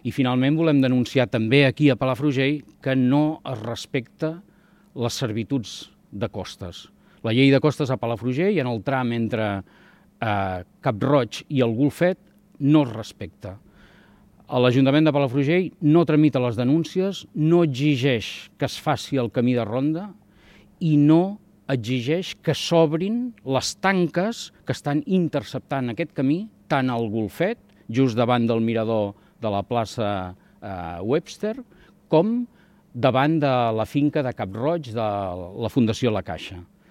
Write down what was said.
I finalment volem denunciar també aquí a Palafrugell que no es respecta les servituds de costes. La llei de costes a Palafrugell, en el tram entre Cap-roig i el Golfet, no es respecta. L'Ajuntament de Palafrugell no tramita les denúncies, no exigeix que es faci el camí de ronda i no exigeix que s'obrin les tanques que estan interceptant aquest camí, tant al Golfet, just davant del mirador de la plaça Webster, com davant de la finca de Cap-roig de la Fundació La Caixa.